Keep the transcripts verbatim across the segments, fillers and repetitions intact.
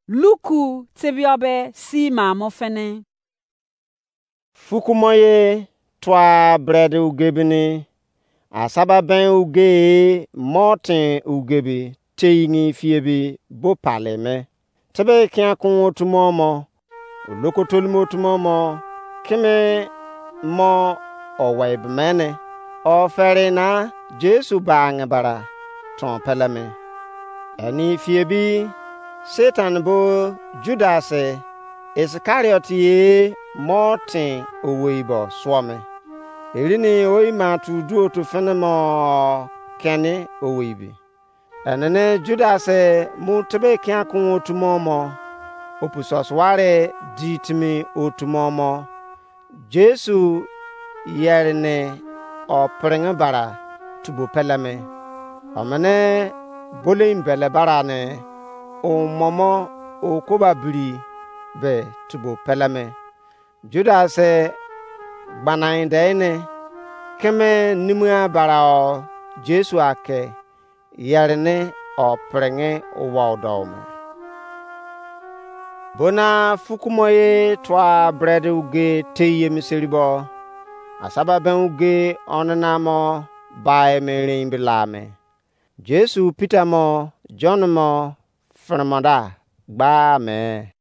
Luku tebiobe si ma mo fini. Fukumo ye tua bread uge bini, asaba ben uge, motin uge bi, teyingi fie bi, bo pale me. Tebe kian kun otumo mo, olokotolimo otumo mo, kimi mo owei bimene, oferi na Jesu ba ange bara ton pele me. Eni fie bi, Satan bo Judas Iskariot ye mo tin owei bo suo me. Erini oyi ma tu duo tu fini mo keni owei bi. Enene Judas mu tebe kian kun otumo mo, opu sosuwari di timi otumo mo, Jesu yeri ni o piringi bara tubo pele me. Omini bolin bele bara ni o momo o koba biri be tubo pele me. Judas gbanai de ni kimi nimua bara o Jesu ake yeri ni o piringi wou dou me. Bona fukumo ye tua bread uge tei ye miseri bo, asaba ben uge onana mo bai me rein bila me. Jesu Peter mo John mo firimo da gba me.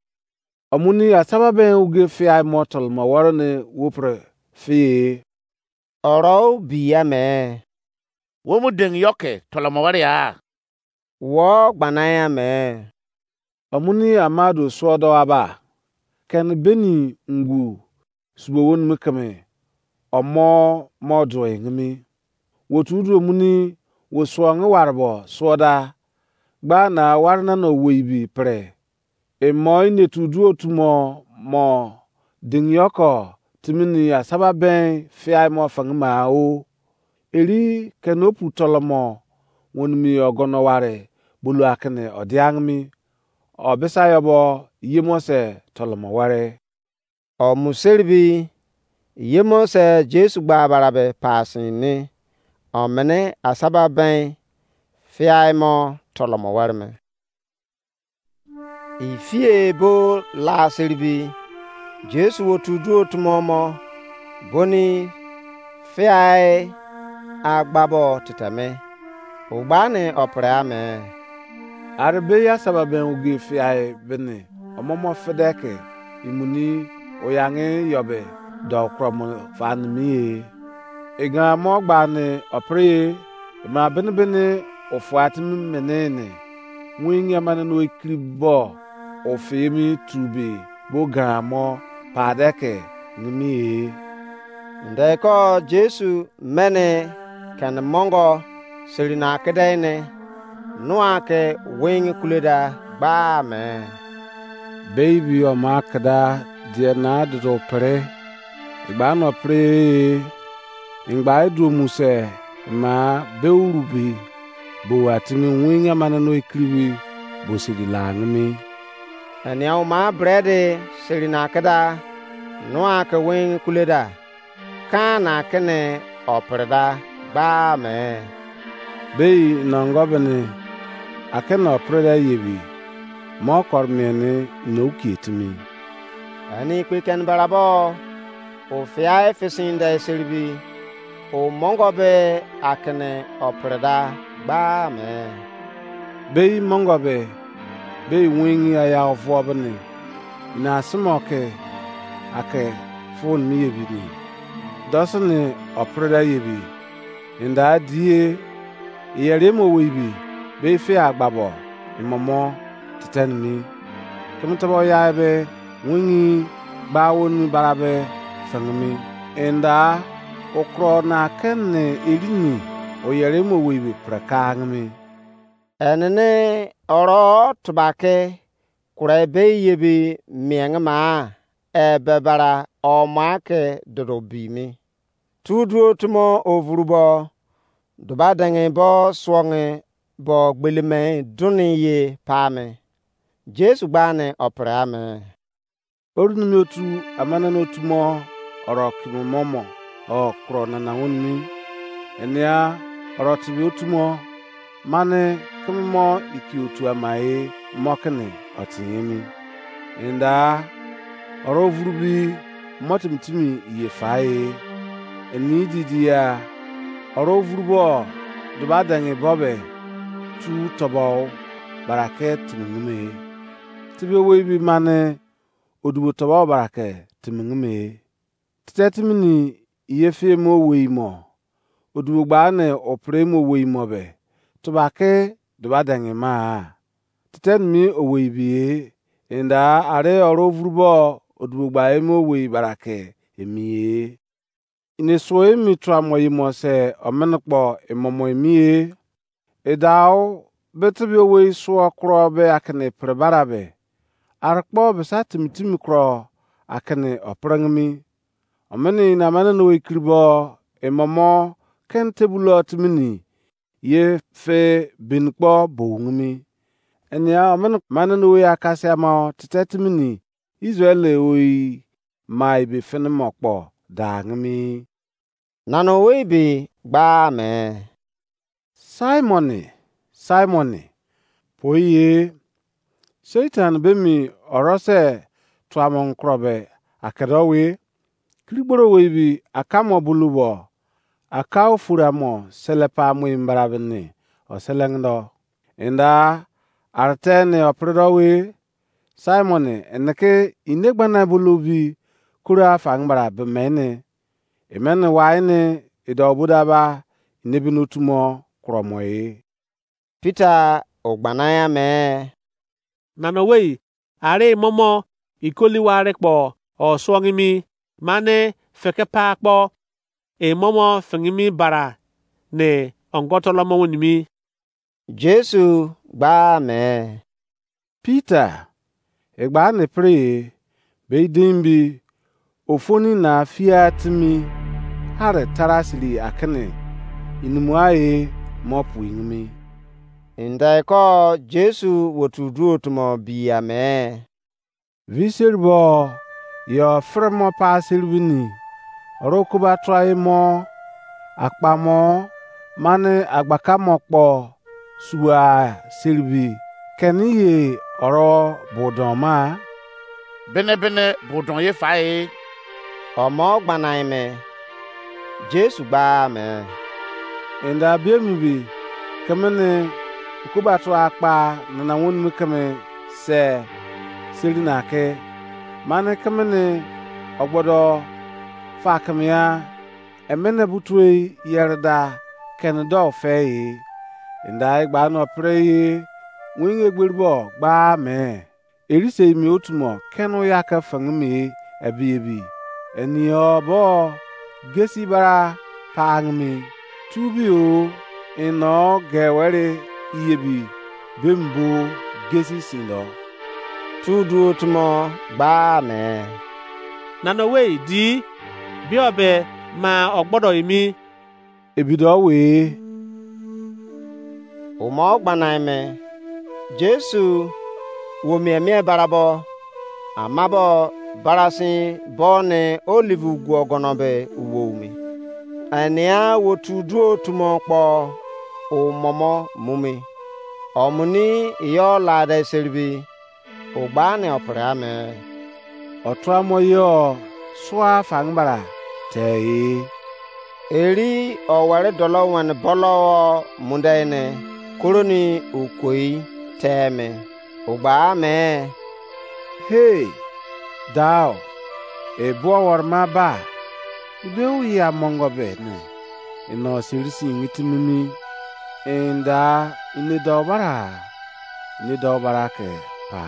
Omuni asaba ben uge fiai mo tolomo woro ni wo pre fie. Oro biya me. Wo mu deng yo ke tolomo wari a? Wo gbana ya me. Omuni amadu suo do aba. Ken beni ngu subo woni mi keme. Omo mo do ngimi. Wo tu du omuni wo suo ngi wari bo suo da. Gba na wari na no wo ibi pre. Emo inetu duo tumo mo dingiyoko timini asaba ben fiai mo fangima o. Eri kenopu tolomo wonimi ogono ware bulu akene odiangimi. Obisa yobo yemo se tolomo ware. O museribi yemo se Jesu gba barabe pasin ni omene asaba ben fiai mo tolomo ware me. Ifie bo la seribi, Jesu otu duo tumo mo, boni fiai agbabo titeme, ugbani opre ame. Arebe ya saba ben uge fiai bini, omomo fedeke, imuni oyange yobe, do kromo fanimiye. Igan mo gbani opre ye, ima bini bini ofua timi menene. Wingi amane no ikiri bo ofimi tubi bo garamo padeke nimi e. Ndeko Jesu mene kene mongo seri na kede ne nua ke wingi kuleda gba me. Baby oma keda die na dodo pere igba no pere e. Ingba iduo muse ma be uru bi bo atimi wingi amane no ikiribi bo sidi la angimi. Enia uma bredi siri na kida nua ke wingi kuleda kan na kene opereda gba me. Bei nongo bini akene opereda yebi mo kor mieni no ukie timi. Ani kpe ken barabo o fiai fisinde seribi o mongo be akene opereda gba me. Bei mongo be bei wingi aya ovuo bini ina simo ke ake fun mi yebi ni. Dosini opereda yebi inda die iyeremo weibi be ife agbabo imomo titenimi. Kimi tobo yai be wingi gba woni barabe fengimi inda okro na kene erini oyeremo weibi prekangimi. Enene oro tubake kure be yebi miengima ebe bara oma ke dodo bimi. Tu duo tumo ovurubo duba dengi bo suongi bo gbelime duni ye pa me. Jesu gbani opere ame. Orunimi otu amanene otumo oro kimo momo o kuro nana wonimi. Enia oro tibi otumo mani kimi mo iki otu amaye mo kini otin emi. Enda oro vuru bi mo timi timi iye fa e. Eni didi ya oro vuru bo duba dengi bo be tu tobo barake timi ngume. Tibi owei bi mane odubo tobo barake timi ngume. Tete timi ni iye fi emo owei mo odubo gba ne opre emo owei mo be tuba ke duba dengi ma. Tete mi owei bi e, enda are oro vuru bo odubo gba emo owei barake emi e. Ini suo emi tuamo yimo se omene kpo emomo emi e. Edao be tibi owei suo kuro be akini pre bara be, are kpo besa timi timi kuro akini oprengimi. Omini ina mane no ekiri bo emomo ken tebulo timi ni ye fe beni kpo bou ngimi. Enia omini mane no owei akasia mo tete timi ni Israel owei mai be fini mo kpo da ngimi. Nana owei be gba me. Simon, Simon, poi ye. Satan be mi orose tuamo nkrobe akedo we. Kirigboro wei bi akamo bulubo aka ofura mo selepa mo imbara bini oselengdo. Inda arte ne opredo we. Simon, eneke ine gbana bulu bi kura fangbara bemene. Emene wai ne idau bodaba ine bini otumo kuromo e. Peter ogbana ya me. Nana wei, are momo ikoli ware kpo osuo ngimi, mane feke pa kpo emomo fingimi bara ne ongoto lomo wenimi. Jesu gba me. Peter, egba ne pre, be idin bi ofoni na fia timi hare tara siri akene inimua e mo pu ingimi. Indai ko Jesu wotu duo tumo bi ame. Viseri bo yo fremo pa seri bini oro kuba tua mo akpa mo mane agbaka mo kpo sua seri bi keni ye oro budon ma. Bene bene budon ye fa e. Omo gbana ime. Jesu gba me. Enda biemi bi kemene okubatua akpa nana wonimi keme se seri na ke mane kemene ogbodo fa keme ya emene butoi yere da kene do fe e. Enda egba no pre e wenge gberi bo gba me. Erisei mi otu mo kenu ya ke fengimi ebi ebi. Eni yo bo gesi bara pangimi. Tubi o ino ge weri iyebi bembo gesi sindo. Tu duo tumo gba me. Nana wei di bio be ma ogbodo emi. Ebido we. Umo gbanaime Jesu wo mie mie barabo amabo barasin bo ne olive guo gono be uwo umi. Enia wo tu duo tumo kpo umomo mumi. Omuni iyo lade seribi. Ogbani opre ame. Otuamo yo sua fangbara te e. Eri owere dolo wen bolo o munde ne koroni okoi te me. Ogba ame. Hey, dao, e buo worma ba. Ibe uya mongo be ne. Ino sirisi ngitimimi. Enda ine dao bara. Ine dao bara ke pa.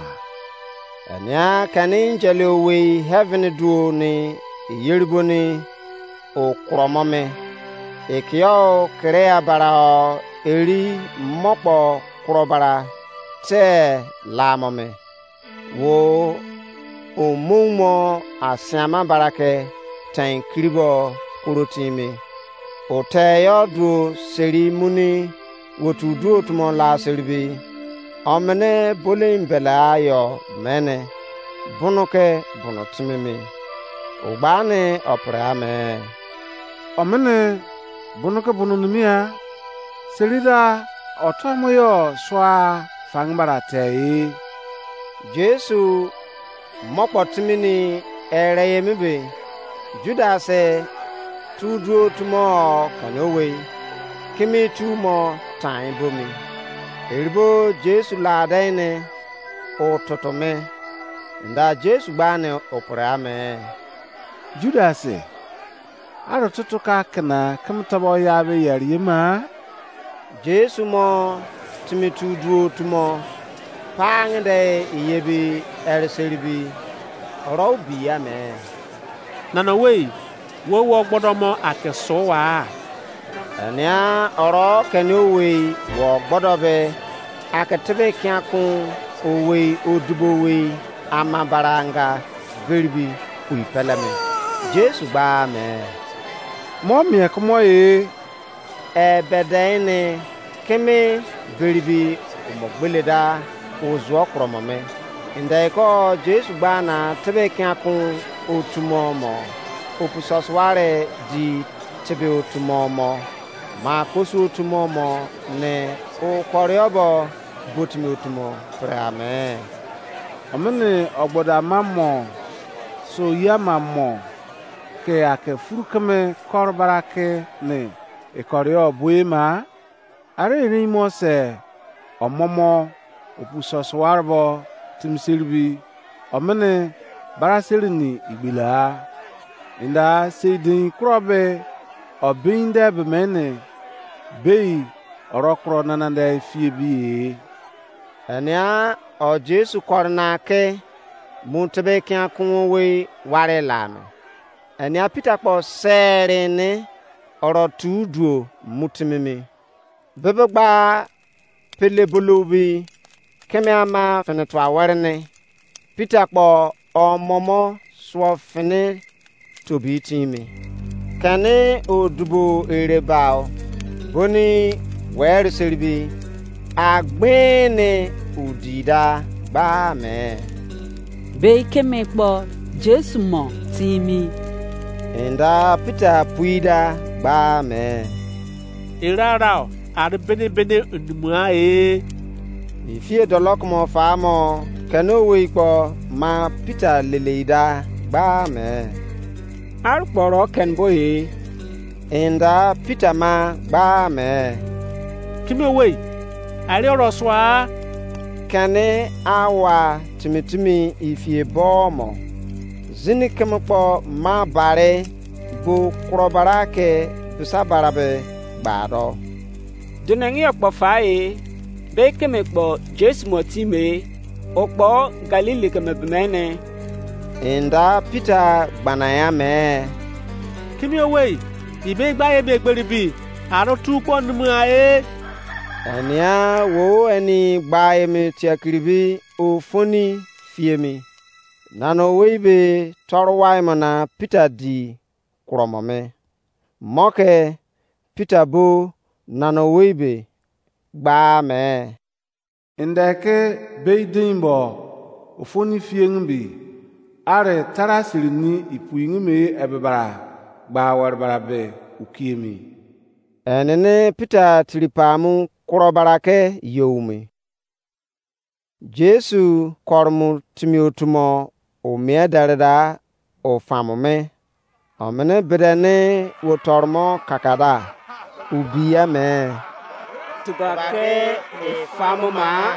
Enia keni angel owei heaven duo ni eyeriboni okromome. Ekio kere abara o eri mokpo kuro bara te lamome. Wo omoumo asiama barake tein kiribo koro timi. Oteyo duo seri muni wotu duo tumo la seribi. Omene bolin bele ayo mene. Bunu ke bunu timimi. Ogbani opre ame. Omene bunu ke bunu nimia. Serida otuamo yo sua fangbara te e. Jesu mokpo timini ere emi be, Judas tu duo tumo kene owei, kimi tu mo tan bomi. Eribo Jesu lade ne ututu me, nda Jesu gba ne opre ame. Judas, aro tutu ka kena keme tobo ya be yeri ma? Jesu mo timi tu duo tumo, pa ngede iye bi ere seri bi, oro bi ya me. Nana wei, wo wo gbodo mo ake so wa? Enia oro kene owei wo gbodo be, ake tebe kiakun owei odibo owei ama baranga beribi kui peleme. Jesu gba me, mo mie kumo e. Ebede ne keme beribi umo gbele da uzuo kromo me. Ndeko Jesu gba na tebe kiakun otumo mo, opu sosuare di tebe otumo mo, ma kosu otumo mo ne okoriobo botimi otumo pre ame. Omini ogboda ama mo, so yama mo, ke ake furu keme koro barake ne ekorio bue ma? Are erein mo se omomo opu sosuarebo timiseribi, omini bara seri ni igbela-a. Inda sei dein kuro be o bein de be mene, bei oro kuro nana de fie bi-e. Enia o Jesu kori na ke mu tebe kian kun wei ware la me. Enia Pita kpo seri ni oro tu duo mu timi mi. Bebe gba pele bolobi keme ama fini tua were ni, Pita kpo omomo suo fini tobi timi. Keni odubo ere bao, boni weri seribi, agbene udi da gba me. Bei keme kpo Jesu mo timi. Inda Pita pui da gba me. Erarao, ari bene bene unumua e. Ifie dolo kumo fa mo, keni owei kpo ma Pita lelei da gba me. Ari kpo oro keni bo e. Inda Pita ma gba me. Kimi owei, ari oro sua? Keni awa timi timi ifie bo mo, zini keme kpo ma bari bo kuro bara ke bisa bara be gba do. Dunengi yo kpo fa e, be keme kpo Jesu mo timi e, o kpo Galili keme bemene. Inda Pita gbana ya me. Kimi owei, ibe gba ye be gberi bi, aro tu kpo numu a e. Enia wo eni gba emi tiakiri bi ofoni fiemi. Nana owei be toru wai mo na Pita di kuro mo me. Mo ke Pita bo nana owei be gba me. Inde ke bei dein bo ofoni fiengi bi, are tara siri ni ipuingi me ebe bara gba were bara be ukiemi. Enene Pita tiri pamu kuro bara ke yowme. Jesu koro mu timi otu mo o mie dere da o famo me. Omini bide ni wo torumo kakada, o bi ya me. Tubake e famo ma,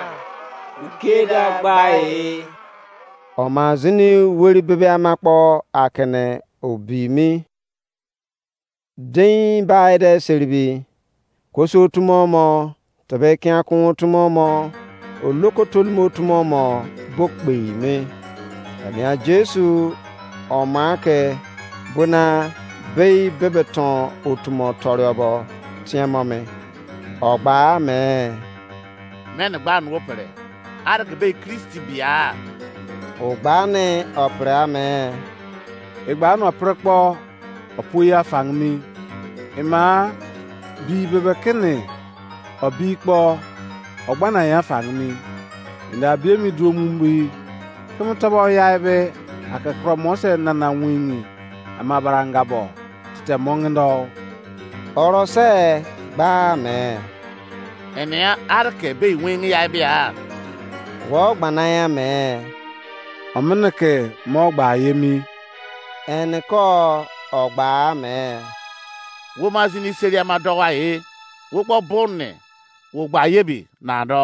ukeda gba e. Oma zini weri bebe ama kpo akene o bi mi. Dein bai de seribi, koso otu mo mo, tebe kian kun otu mo mo, oloko tolumo otu mo mo bo kpei me. Enia Jesu oma ke bona bei bebe ton otu mo toriobo tiemo me. Ogba me. Mene gba nu opere. Are ke bei Kristi bia? Ogba ne opere ame. Egba nu opere kpo opu ya fangimi. Ima bi bebe kene obi kpo ogbana ya fangimi. Inda bi emi duo mu bi keme tobo ya ebe ake kuro mo se nana wingi ama baranga bo tite mongindo. Oro se gba me. Enia are ke be wingi ya ebe a? Wo gbana ya me? Omene ke mo gba ye mi. Ene ko ogba me? Wo ma zini seri ama dọwa e, wo kpo bụrụ ne wo gba ye bi na dọ.